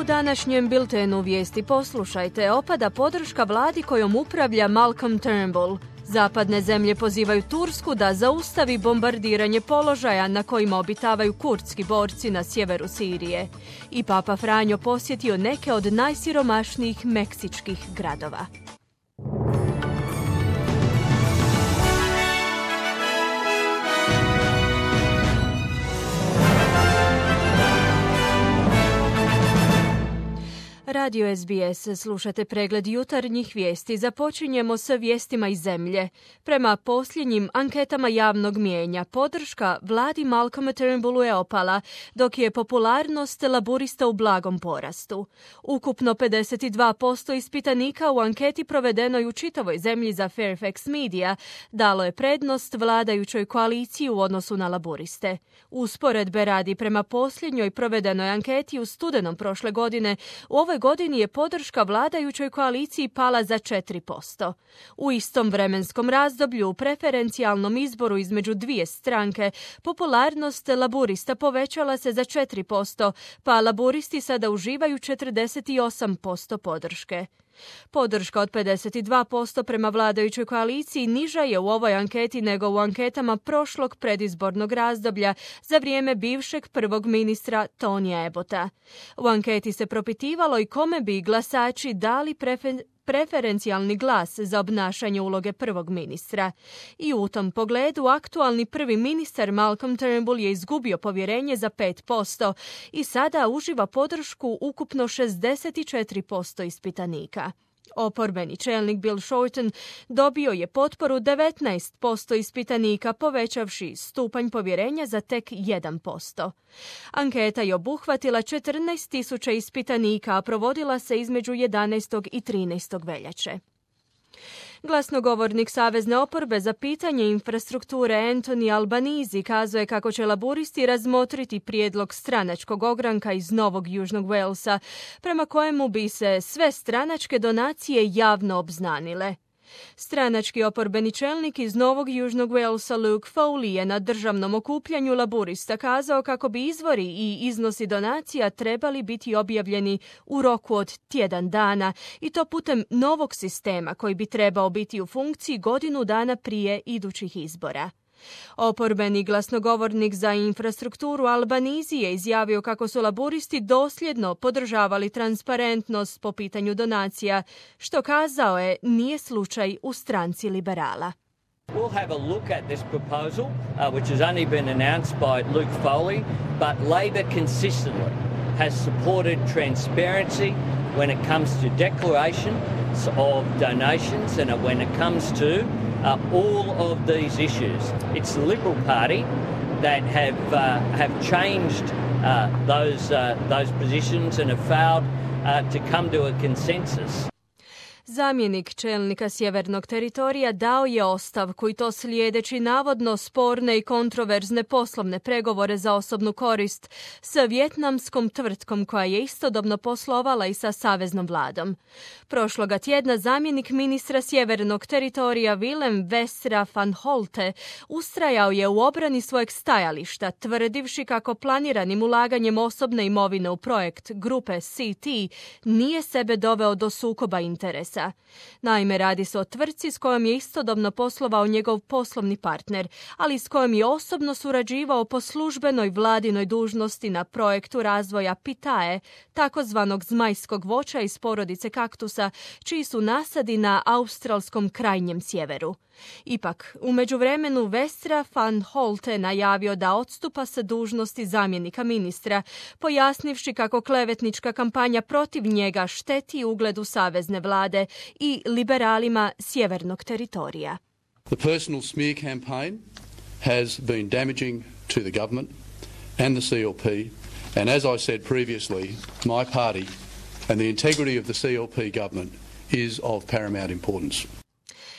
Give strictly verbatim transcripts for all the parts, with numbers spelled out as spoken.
U današnjem biltenu vijesti poslušajte, opada podrška vladi kojom upravlja Malcolm Turnbull. Zapadne zemlje pozivaju Tursku da zaustavi bombardiranje položaja na kojima obitavaju kurdski borci na sjeveru Sirije. I Papa Franjo posjetio neke od najsiromašnijih meksičkih gradova. Radio S B S, slušate pregled jutarnjih vijesti. Započinjemo sa vijestima iz zemlje. Prema posljednjim anketama javnog mijenja, podrška vladi Malcolma Turnbullu je opala, dok je popularnost laburista u blagom porastu. Ukupno pedeset dva posto ispitanika u anketi provedenoj u čitavoj zemlji za Fairfax Media dalo je prednost vladajućoj koaliciji u odnosu na laburiste. Usporedbe radi, prema posljednjoj provedenoj anketi u studenom prošle godine, u ovoj godini je podrška vladajućoj koaliciji pala za četiri posto. U istom vremenskom razdoblju u preferencijalnom izboru između dvije stranke popularnost laburista povećala se za četiri posto, pa laburisti sada uživaju četrdeset osam posto podrške. Podrška od pedeset dva posto prema vladajućoj koaliciji niža je u ovoj anketi nego u anketama prošlog predizbornog razdoblja za vrijeme bivšeg prvog ministra Tonija Abbotta. U anketi se propitivalo i kome bi glasači dali prefer- preferencijalni glas za obnašanje uloge prvog ministra. I u tom pogledu aktualni prvi ministar Malcolm Turnbull je izgubio povjerenje za pet posto i sada uživa podršku ukupno šezdeset četiri posto ispitanika. Oporbeni čelnik Bill Shorten dobio je potporu devetnaest posto ispitanika, povećavši stupanj povjerenja za tek jedan posto. Anketa je obuhvatila četrnaest tisuća ispitanika, a provodila se između jedanaestog i trinaestog veljače. Glasnogovornik Savezne oporbe za pitanje infrastrukture Anthony Albanese kazuje kako će laburisti razmotriti prijedlog stranačkog ogranka iz Novog Južnog Walesa, prema kojemu bi se sve stranačke donacije javno obznanile. Stranački oporbeni čelnik iz Novog Južnog Walesa Luke Foley je na državnom okupljanju laburista kazao kako bi izvori i iznosi donacija trebali biti objavljeni u roku od tjedan dana i to putem novog sistema koji bi trebao biti u funkciji godinu dana prije idućih izbora. Oporbeni glasnogovornik za infrastrukturu Albanese je izjavio kako su laburisti dosljedno podržavali transparentnost po pitanju donacija, što, kazao je, nije slučaj u stranci liberala. We'll have a look at this proposal, uh, which has only been announced by Luke Foley, but Labor consistently has supported transparency when it comes to declarations of donations and when it comes to uh, all of these issues. It's the Liberal Party that have uh, have changed uh, those uh, those positions and have failed uh, to come to a consensus. Zamjenik čelnika sjevernog teritorija dao je ostavku i to slijedeći navodno sporne i kontroverzne poslovne pregovore za osobnu korist sa vjetnamskom tvrtkom koja je istodobno poslovala i sa saveznom vladom. Prošloga tjedna zamjenik ministra sjevernog teritorija Willem Westra van Holte ustrajao je u obrani svojeg stajališta, tvrdivši kako planiranim ulaganjem osobne imovine u projekt grupe C T nije sebe doveo do sukoba interesa. Naime, radi se o tvrtci s kojom je istodobno poslovao njegov poslovni partner, ali s kojom je osobno surađivao po službenoj vladinoj dužnosti na projektu razvoja pitae, takozvanog zmajskog voća iz porodice kaktusa, čiji su nasadi na australskom krajnjem sjeveru. Ipak, u međuvremenu Westra van Holte najavio da odstupa sa dužnosti zamjenika ministra, pojasnivši kako klevetnička kampanja protiv njega šteti ugledu savezne vlade i liberalima sjevernog teritorija. The personal smear campaign has been damaging to the government and the C L P, and as I said previously, my party and the integrity of the C L P government is of paramount importance.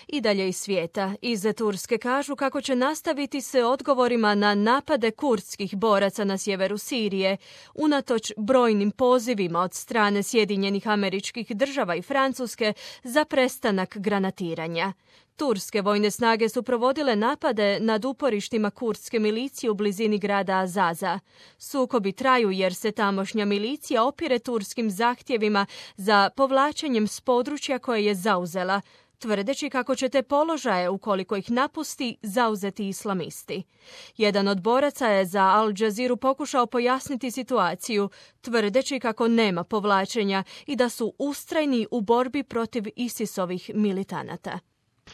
I dalje iz svijeta. Iz Turske kažu kako će nastaviti se odgovorima na napade kurdskih boraca na sjeveru Sirije, unatoč brojnim pozivima od strane Sjedinjenih Američkih Država i Francuske za prestanak granatiranja. Turske vojne snage su provodile napade nad uporištima kurdske milicije u blizini grada Azaza. Sukobi traju jer se tamošnja milicija opire turskim zahtjevima za povlačenjem s područja koje je zauzela, tvrdeći kako će te položaje, ukoliko ih napusti, zauzeti islamisti. Jedan od boraca je za Al Jazeera pokušao pojasniti situaciju, tvrdeći kako nema povlačenja i da su ustrajni u borbi protiv ISIS-ovih militanata.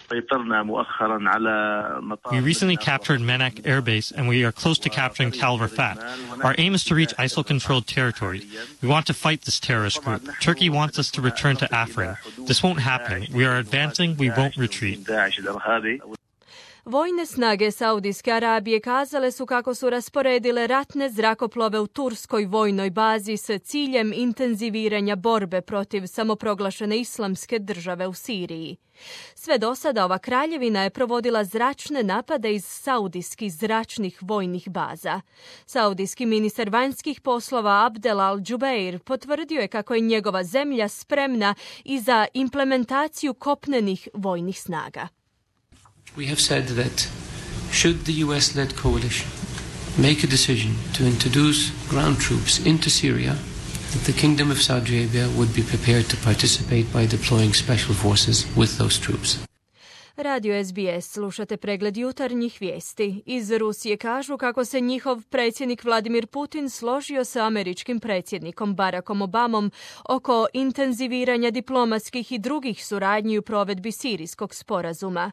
We recently captured Menak Air Base and we are close to capturing Tal Rafat. Our aim is to reach I S I L-controlled territory. We want to fight this terrorist group. Turkey wants us to return to Afrin. This won't happen. We are advancing. We won't retreat. Vojne snage Saudijske Arabije kazale su kako su rasporedile ratne zrakoplove u turskoj vojnoj bazi s ciljem intenziviranja borbe protiv samoproglašene islamske države u Siriji. Sve do sada ova kraljevina je provodila zračne napade iz saudijskih zračnih vojnih baza. Saudijski ministar vanjskih poslova Abdel Al-Jubeir potvrdio je kako je njegova zemlja spremna i za implementaciju kopnenih vojnih snaga. We have said that should the U S-led coalition make a decision to introduce ground troops into Syria, that the Kingdom of Saudi Arabia would be prepared to participate by deploying special forces with those troops. Radio S B S, slušate pregled jutarnjih vijesti. Iz Rusije kažu kako se njihov predsjednik Vladimir Putin složio sa američkim predsjednikom Barackom Obamom oko intenziviranja diplomatskih i drugih suradnji u provedbi sirijskog sporazuma.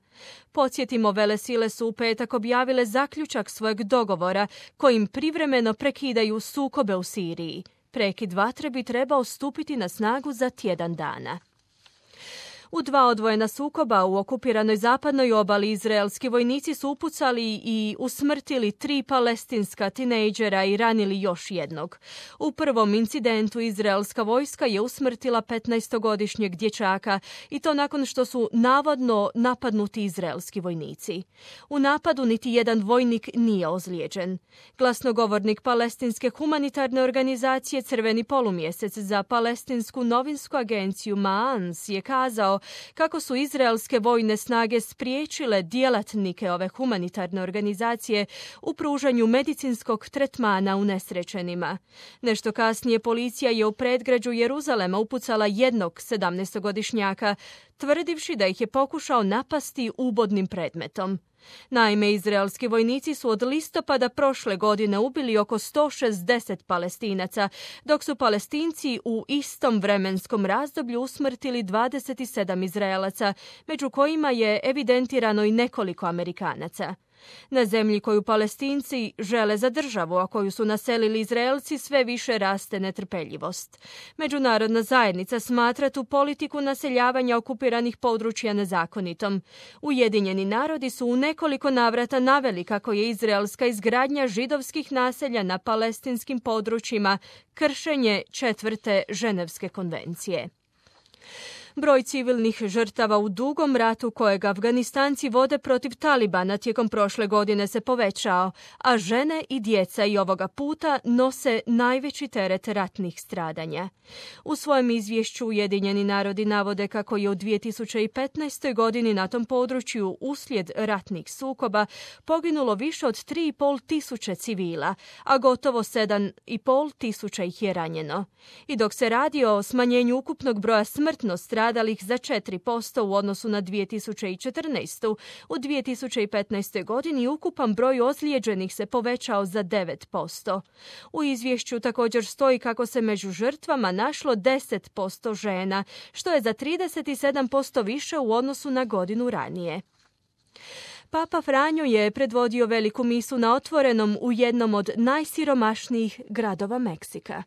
Podsjetimo, velesile su u petak objavile zaključak svojeg dogovora kojim privremeno prekidaju sukobe u Siriji. Prekid vatre bi trebao stupiti na snagu za tjedan dana. U dva odvojena sukoba u okupiranoj zapadnoj obali izraelski vojnici su upucali i usmrtili tri palestinska tinejdžera i ranili još jednog. U prvom incidentu izraelska vojska je usmrtila petnaestogodišnjeg dječaka i to nakon što su navodno napadnuti izraelski vojnici. U napadu niti jedan vojnik nije ozlijeđen. Glasnogovornik palestinske humanitarne organizacije Crveni polumjesec za palestinsku novinsku agenciju Maans je kazao kako su izraelske vojne snage spriječile djelatnike ove humanitarne organizacije u pružanju medicinskog tretmana unesrećenima. Nešto kasnije policija je u predgrađu Jeruzalema upucala jednog sedamnaestogodišnjaka, tvrdivši da ih je pokušao napasti ubodnim predmetom. Naime, izraelski vojnici su od listopada prošle godine ubili oko sto šezdeset Palestinaca, dok su Palestinci u istom vremenskom razdoblju usmrtili dvadeset sedam Izraelaca, među kojima je evidentirano i nekoliko Amerikanaca. Na zemlji koju Palestinci žele za državu, a koju su naselili Izraelci, sve više raste netrpeljivost. Međunarodna zajednica smatra tu politiku naseljavanja okupiranih područja nezakonitom. Ujedinjeni narodi su u nekoliko navrata naveli kako je izraelska izgradnja židovskih naselja na palestinskim područjima kršenje četvrte Ženevske konvencije. Broj civilnih žrtava u dugom ratu kojeg Afganistanci vode protiv Talibana tijekom prošle godine se povećao, a žene i djeca i ovoga puta nose najveći teret ratnih stradanja. U svojem izvješću Ujedinjeni narodi navode kako je u dvije tisuće petnaestoj. godini na tom području uslijed ratnih sukoba poginulo više od tri i pol tisuće civila, a gotovo sedam i pol tisuća ih je ranjeno. I dok se radi o smanjenju ukupnog broja smrtno stradalih za četiri posto u odnosu na dvije tisuće četrnaestu. u dvije tisuće petnaestoj. godini ukupan broj ozlijeđenih se povećao za devet posto. U izvješću također stoji kako se među žrtvama našlo deset posto žena, što je za trideset sedam posto više u odnosu na godinu ranije. Papa Franjo je predvodio veliku misu na otvorenom u jednom od najsiromašnijih gradova Meksika.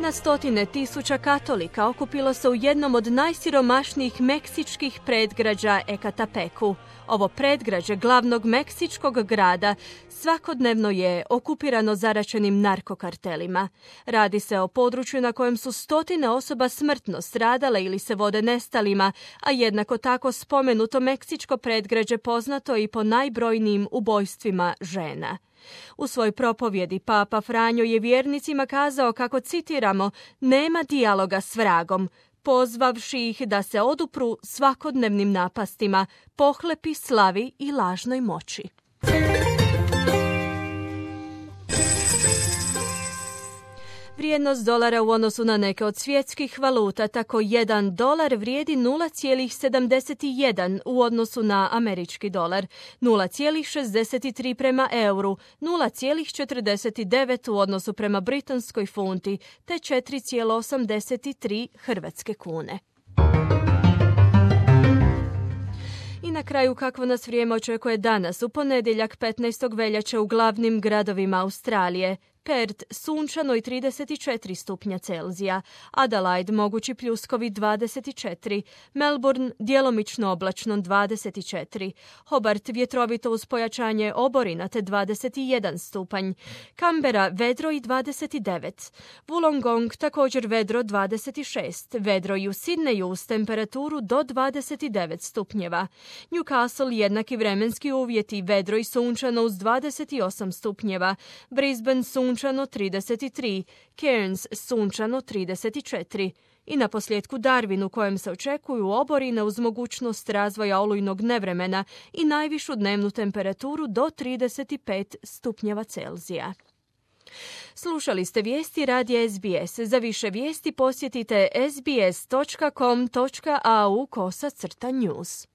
Na stotine tisuća katolika okupilo se u jednom od najsiromašnijih meksičkih predgrađa Ekatepeku. Ovo predgrađe glavnog meksičkog grada svakodnevno je okupirano zaračenim narkokartelima. Radi se o području na kojem su stotine osoba smrtno stradale ili se vode nestalima, a jednako tako spomenuto meksičko predgrađe poznato i po najbrojnijim ubojstvima žena. U svojoj propovjedi Papa Franjo je vjernicima kazao kako, citiramo, nema dijaloga s vragom, pozvavši ih da se odupru svakodnevnim napastima, pohlepi, slavi i lažnoj moći. Vrijednost dolara u odnosu na neke od svjetskih valuta, tako jedan dolar vrijedi nula zarez sedamdeset jedan u odnosu na američki dolar, nula zarez šezdeset tri prema euru, nula zarez četrdeset devet u odnosu prema britanskoj funti, te četiri zarez osamdeset tri hrvatske kune. I na kraju kakvo nas vrijeme očekuje danas, u ponedjeljak petnaestog veljače u glavnim gradovima Australije. Perth sunčano i trideset četiri stupnja Celzija, Adelaide mogući pljuskovi dvadeset četiri, Melbourne djelomično oblačno dvadeset četiri, Hobart vjetrovito uz pojačanje oborina te dvadeset jedan stupanj, Canberra vedro i dvadeset devet, Wollongong također vedro dvadeset šest, vedro i u Sydneyu uz temperaturu do dvadeset devet stupnjeva, Newcastle jednaki vremenski uvjeti, vedro i sunčano uz dvadeset osam stupnjeva, Brisbane sunčano sunčano trideset tri, Cairns sunčano trideset četiri i na posljedku Darwin u kojem se očekuju oborine uz mogućnost razvoja olujnog nevremena i najvišu dnevnu temperaturu do trideset pet stupnjeva Celzija. Slušali ste vijesti radija S B S. Za više vijesti posjetite sbs točka com točka au kosa crta news.